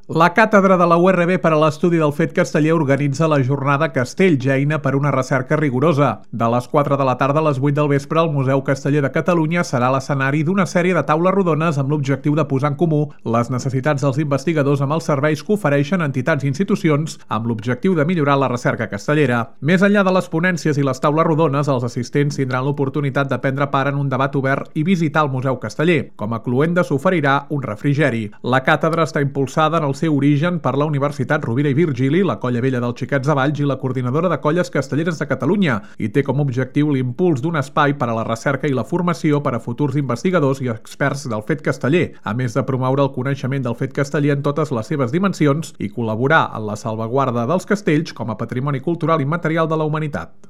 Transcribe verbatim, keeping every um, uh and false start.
La Càtedra de la U R B per a l'Estudi del Fet Casteller organitza la jornada Castells, eina per una recerca rigorosa. De les quatre de la tarda a les vuit del vespre, el Museu Casteller de Catalunya serà l'escenari d'una sèrie de taules rodones amb l'objectiu de posar en comú les necessitats dels investigadors amb els serveis que ofereixen entitats i institucions amb l'objectiu de millorar la recerca castellera. Més enllà de les ponències i les taules rodones, els assistents tindran l'oportunitat de prendre part en un debat obert i visitar el Museu Casteller. Com a cluenda s'oferirà un refrigeri. La càtedra està impulsada en el seu origen per la Universitat Rovira i Virgili, la Colla Vella dels Xiquets de Valls i la Coordinadora de Colles Castelleres de Catalunya i té com a objectiu l'impuls d'un espai per a la recerca i la formació per a futurs investigadors i experts del fet casteller, a més de promoure el coneixement del fet casteller en totes les seves dimensions i col·laborar en la salvaguarda dels castells com a patrimoni cultural immaterial de la humanitat.